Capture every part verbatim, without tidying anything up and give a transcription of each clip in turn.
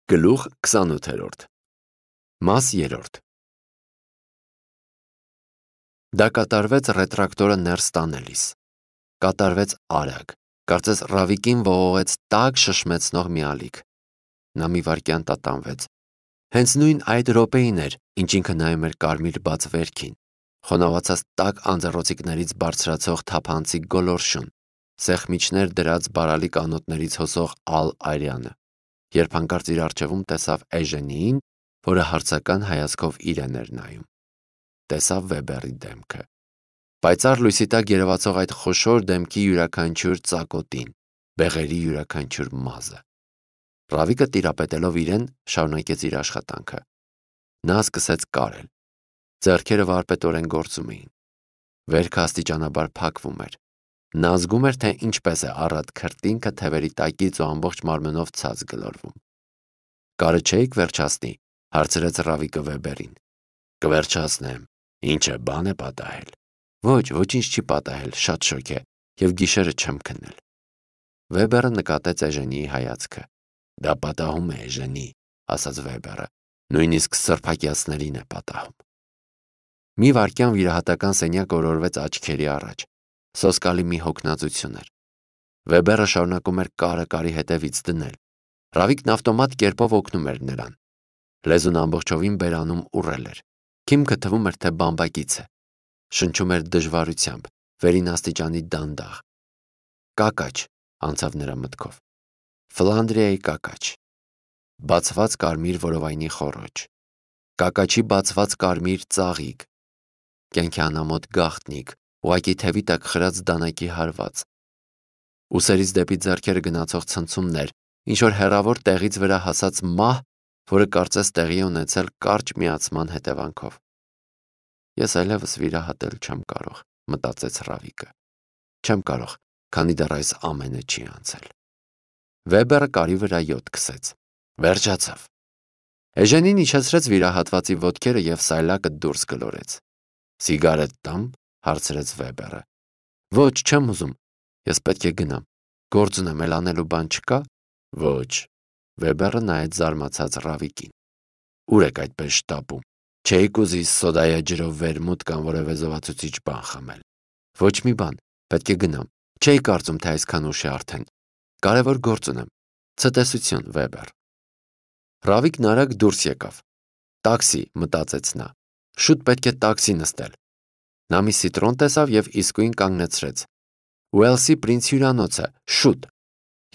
Գլուխ քսանութերորդ Մաս երրորդ Դա կատարվեց ռետրակտորը ներս տանելիս։ Կատարվեց արագ, կարծես Ռավիկին ողողեց տաք շշմեցնող մի ալիք։ Նա մի վայրկյան տատանվեց։ Հենց նույն այդ րոպեին էր, ինչ ինքը նայում էր կարմիր բաց վերքին, խոնավացած տաք անձեռոցիկներից բարձրացող թափանցիկ գոլորշուն, սեղմիչներ դրած բարալի կանոթներից հոսող ալ այրյանը, երբ հանկարծ իր առջևում տեսավ Էժենիին, որը հարցական հայացքով իրեն էր նայում։ Տեսավ Վեբերի դեմքը։ Պայծառ լույսի տակ երևացող այդ խոշոր դեմքի յուրաքանչյուր ծակոտին, բեղերի յուրաքանչյուր մազը։ Ռավիկը տիրապետելով իրեն, շարունակեց իր աշխատանքը։ Նա սկսեց կարել։ Ձեռքերը վարպետորեն գործում էին։ Վերքը աստիճանաբար փակվում էր։ Նա զգում էր, թե ինչպես է առատ քրտինքը թևերի տակից ու ամբողջ մարմնով ցած գլորվում։ Կարը չէիք վերջացնի, հարցրեց Ռավիկը Վեբերին։ Կվերջացնեմ, ինչ է, բան է պատահել։ Ոչ, ոչինչ չի պատահել, շատ շոգ է, և գիշերը չեմ քնել։ Վեբերը նկատեց Էժենիի հայացքը։ Դա պատահում է, Էժենի, ասաց Վեբերը, նույնիսկ սրբակյացներին է պատահում։ Մի վայրկյան վիրահատական սենյակ օրորվեց աչքերի առաջ։ Սոսկալի մի հոգնածություն էր։ Վեբերը շարունակում էր կարը կարի հետևից դնել։ Ռավիկն ավտոմատ կերպով օգնում էր նրան։ Լեզուն ամբողջովին բերանում ուռել էր։ Քիմքը թվում էր, թե բամբակից է։ Շնչում էր դժվարությամբ, վերին աստիճանի դանդաղ։ Կակաչ, անցավ նրա մտքով։ Ֆլանդրիայի կակաչ։ Բացված կարմիր որովայնի խոռոչ։ Կակաչի բացված կարմիր ծաղիկ։ Կյանքի անամոթ գաղտնիք, ուղղակի թևի տակ խրած դանակի հարված։ Ուսերից դեպի ձեռքերը գնացող ցնցումներ, ինչ-որ հեռավոր տեղից վրա հասած մահ, որը կարծես տեղի է ունեցել կարճ միացման հետևանքով։ Ես այլևս վիրահատել չեմ կարող, մտածեց Ռավիկը։ Չեմ կարող, քանի դեռ այս ամենը չի անցել։ Վեբերը կարի վրա յոթ քսեց։ Վերջացավ։ Էժենին իջեցրեց վիրահատվածի ոտքերը և սայլակը դուրս գլորեց։ Սիգարետ տամ, հարցրեց Վեբերը։ Ոչ, չեմ ուզում, ես պետք է գնամ։ Գործ ունեմ, էլ անելու բան չկա։ Ոչ։ Վեբերը նայեց զարմացած Ռավիկին։ Ուր եք այդպես շտապում։ Չէիք ուզի սոդայա ջրով վերմուտ կամ որևէ զովացուցիչ բան խմել։ Ոչ մի բան, պետք է գնամ։ Չէի կարծում, թե այսքան ուշ է արդեն։ Կարևոր գործ ունեմ։ Ցտեսություն, Վեբեր։ Ռավիկն արագ դուրս եկավ։ Տաքսի, մտածեց նա։ Շուտ պետք է տաքսի նստել։ Նա մի սիտրոն տեսավ և իսկույն կանգնեցրեց։ Ուելսի Պրինց հյուրանոցը, շուտ։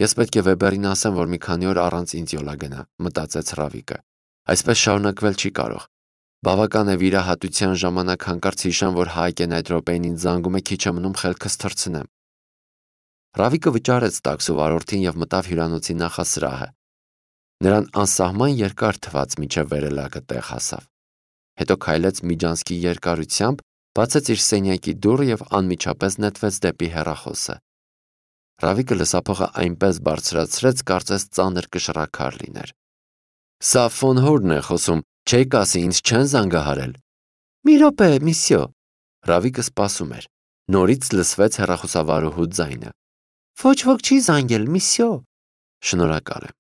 Ես պետք է Վեբերին ասեմ, որ մի քանի օր առանց ինձ յոլա գնա, մտածեց Ռավիկը։ Այսպես շարունակվել չի կարող։ Բավական է վիրահատության ժամանակ հանկարծ հիշեմ, որ Հայկեն այդ րոպեին ինձ զանգում է, քիչ է մնում խելքս թռցնեմ։ Ռավիկը վճարեց տաքսու վարորդին և մտավ հյուրանոցի նախասրահը։ Նրան անսահման երկար թվաց, մինչև վերելակը տեղ հասավ։ Հետո քայլեց միջանցքի երկարությամբ, բացեց իր սենյակի դուռը և անմիջապես նետվեց դեպի հեռախոսը։ Ռավիկը լսափողը այնպես բարձրացրեց, կարծես ծանր կշռաքար լիներ։ Սա ֆոն Հորնն է խոսում, չեք ասի, ինձ չեն զանգահարել։ Մի րոպե, միսյո։ Ռավիկը սպասում էր։ Նորից լսվեց հեռախոսավարուհու ձայնը։ Ոչ ոք չի զանգել, միսյո։ Շնորհակալ եմ։